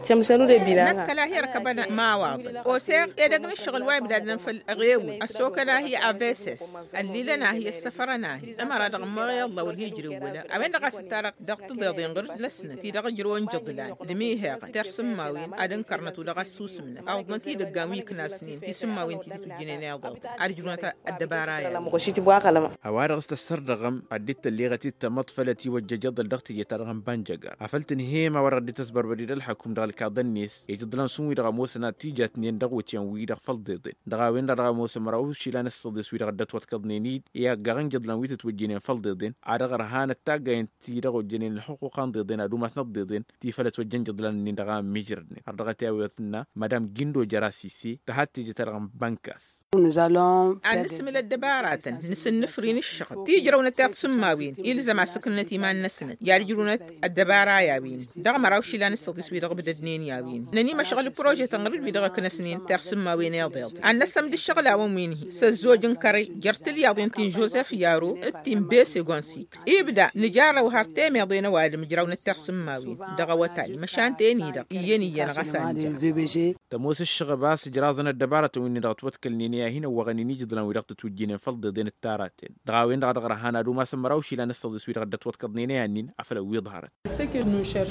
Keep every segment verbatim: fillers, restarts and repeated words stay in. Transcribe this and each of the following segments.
Tămsănu d-ebilana. Năkkăla hi-ărkăbăn. Mawaḍăn oseɣ edăgg n-ǝššăɣǝl wa ibdadnăn făll-eɣewǝl ăssokăn ahi aveses, ăllilăn ahi ăssăfărăn ahi ămăra dăɣ-ămmoɣ iḍla wăr hi-ǝjrewwălăn. A-wen-dăɣ a-s ǝttarăɣ dăɣ-tiḍeḍen ɣur-năsnăt-i-dăɣ ǝjrăwăn jăḍlan d-imihăɣăn tersǝmmawen ad-ǝnkărnăt u-dăɣ ăssusǝmnăt awǝḍnăt-i d-ǝggan wi ǝknasnen tisǝmmawen ti tǝtwǝjjǝnen iḍeḍen ad-ǝjrăwăn ăddăbara-i. A-wa-dăɣ s-tăssărdăɣăm ad-dd-tălleɣăt-dd tamăḍt făll-ătiwăjjăj iḍǝl dăɣ-teje-ta-dăɣ n-bănjăgar afăl tǝnhăyăm a-wa-dăɣ dd-tăsbărbăd-dd ălxăkum dăɣ-ălkaḍăn-net ijǝḍlan šund wi-dăɣ ămoosăn ad-t-ijatnen dăɣ-iwǝtyan-wi-dăɣ făll-iḍeḍen. Dăɣ-a-wen-dăɣ dăɣ-ămoosăn măraw išilan s-săḍis wi-dăɣ dd-ătwăḍkăḍnen-dd i-aggaɣ n-ijǝḍlan wi tǝtwǝjjǝynen făll-iḍeḍen. Ad-dăɣ-ărhan ăttaggayen ti-dăɣ ojjănen ălxuqquqa n-iḍeḍen ad-umasnăt d-iḍeḍen ti făll-ătwăjjăn ijǝḍlan-nin-dăɣ a ămmiijrădnen har dăɣ-t i-a-wen tǝnna madam gindo jăra sise tăhat teje-ta-dăɣ n-bănkas. Ad-nǝsǝmǝl ăddăbaratăn nǝsǝnnǝfrin ǝššăɣǝb ti ǝjrăwnăt tiḍsǝmmawen ilzăm a-s ǝknǝnăt iman-năsnăt i-ad-ǝjrǝwnăt ăddăbara i-a-wen dăɣ-măraw išilan s-săḍis wi-dăɣ ǝbdădnen i-a-wen nănimăšɣǝl prožetăn ɣur-dd wi-dăɣ ǝknăsnen tiḍsǝmmawen iḍeḍen ad-năssămd ǝššăɣǝl a-wen wi n-hi s-ăzzoj n-kărăy jer-tilyaḍen ti n-žozef yaro d-ti n-bese gonsi. Ibda nǝjarrăw har temeḍe n-ăwadǝm ǝjrawnăt tiḍsǝmmawen dăɣ-awătay măšan ten-i-dăɣ iyyăn iyyăn ɣas a nǝjrăw. Tămoos ǝššăɣǝb a-s ǝjraẓăn ăddăbarătăn wi-dăɣ ătwăḍkălnen i-ad-hin-ăwwăɣăn inijǝḍlan wi-dăɣ tǝtwǝjjǝynen făll-iḍeḍen d-taraten. Dăɣ-a-wen-dăɣ a dăɣ-ărhan ad-umasăn măraw išilan s-săḍis wi-dăɣ dd-ătwăḍkăḍnen i-ad-nin afăl ăwwiḍhărăt.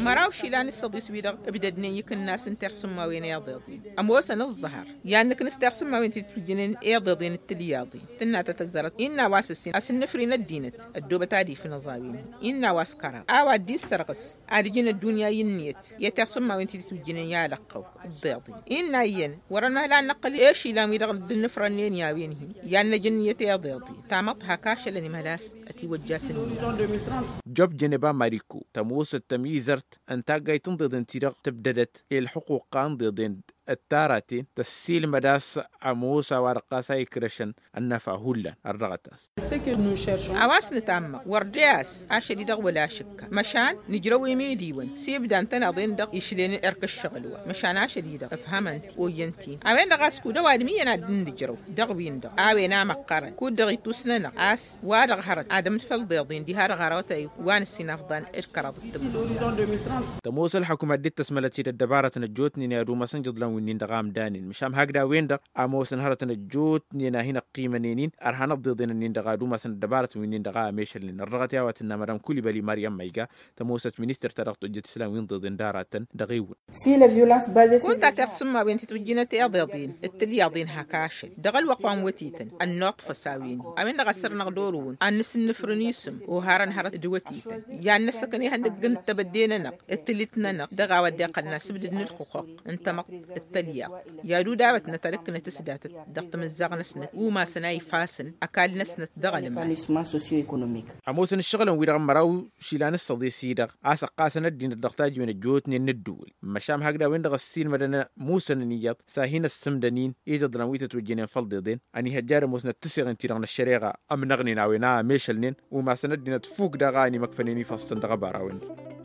Măraw išilan s-săḍis wi-dăɣ ǝbdădnen ikǝnnas n-tirsǝmmawen iḍeḍen ămoosăn ǝẓẓăhăr i-ad-nǝknǝs tirsǝmmawen ti tǝtwǝjjǝnen iḍeḍen d-tilyaḍen. Tǝnna ta tăzzărăt innă a-wa s-ǝssin a-s ǝnnǝfrin ăddinăt ăddoobăt ad-ifnăẓ a-wen innă a-wa s-kăraḍ a-wa dd-issărɣǝs ad-ǝjǝn ăddunya i-ǝnniyăt i-tirsǝmmawen ti tǝtwǝjjǝnen i-alăqqăw d-iḍeḍen. Innă iyyăn wăr-ănmăhăl ad-nǝqqǝl i-išilan wi-dăɣ dd-ǝnnǝfrănnen i-a-wen-hi i-ad-năj ǝnniyăt iḍeḍen tamăḍt hak ašăl ănimhăl a-s ătiwăjjasăn. Job jeneba mariko tămoosăt tămizărt n-taggayt n-iḍeḍen ti-dăɣ tǝbdădăt i-ălxuquqa n-iḍeḍen d-taraten tăssiilmăd a-s ămoos a-wa-dăɣ ɣas a ikrăšăn ănnăfa hullan ărdăɣăt-as. A-wa s-nǝtammăɣ wăr de-as ašăl-i-dăɣ wăla ašǝkka măšan nǝjrăw imidiwăn s-ibda n-tănaḍen-dăɣ išlen erk ǝššăɣǝl-wa măšan ašăl-i-dăɣ ǝfhămăn-t oyyăn-t-in a-wen-dăɣ a-s kud-ăwadǝm iyyăn ad-dd-nǝjrăw dăɣ-win-dăɣ a-wen a măqqărăn kud-dăɣ ittus-nănăɣ a-s wa-dăɣ hărăt ad-ămǝd făll-iḍeḍen diha-dăɣ hărăwătay wa n-ǝssin afḍan d-kăraḍ d-tǝmmǝrwen. Tămoos ălxăkum ad-dd-tăsmălăt-dd ăddăbarătăn ăjjootnen i-ad-umasăn ijǝḍlan wi-nin-dăɣ a ǝmdanen măšan hakd a-wen-dăɣ a ămoosăn hărătăn ăjjootnen a hin-ăqqimănen-in ărhan ăḍḍeḍen-nin-dăɣ ad-umasăn ăddăbarătăn wi-nin-dăɣ a ămešălnen ărrăɣăt i-a-wa tǝnna madam kulibăli maryam ma iga tămoosăt ministăr-ta-dăɣ tojjăt islan wi n-iḍeḍen d-aratăn dăɣ-ewǝn. Kunta tirsǝmmawen ti tǝwǝjjǝnăt iḍeḍen d-tilyaḍen hak ašăl dăɣ-ălwăqq wa n-wătităn ănnuṭfăs a-wen-i a-wen-dăɣ a sărnăɣ d-orăwăn ad-nǝsǝnnǝfrǝn isǝm oharăn hărăt d-wătităn i-ad-năssăkăn ihăndăgg n-tebădde-nănăɣ d-tǝlit-nănăɣ dăɣ-a-wa dd-iqqălăn asǝbdǝd n-ǝlxǝqquq n-tamăḍt d-tălyaḍt i-ad-udawătnăt ad-ǝkkǝnăt s-datăt dăɣ-timǝzzaɣ-năsnăt umasăn a ifasăn ăkall-năsnăt dăɣ-ălman. Ămoosăn ǝššăɣǝlăn-wi-dăɣ n-măraw išilan s-săḍis-i-dăɣ a-s ăqqasăn ăddinăt dăɣ-tajǝwen ăjjootnen n-ǝddǝwǝl măšan hakd a-wen-dăɣ ăssiilmădăn musăn ǝniyăḍ s-ad-hin-ăssǝmdăn-in ijǝḍlan wi tătwăjjănen făll-iḍeḍen. Ănihăjja ad-ămoosnăt tǝseɣen-ti-dăɣ n-ăššăreɣa ămnăɣnen a-wen a ămešălnen umasăn ăddinăt fuk daɣ a ănimăkfănen ifassăn dăɣ-ăbara-wen-dăɣ.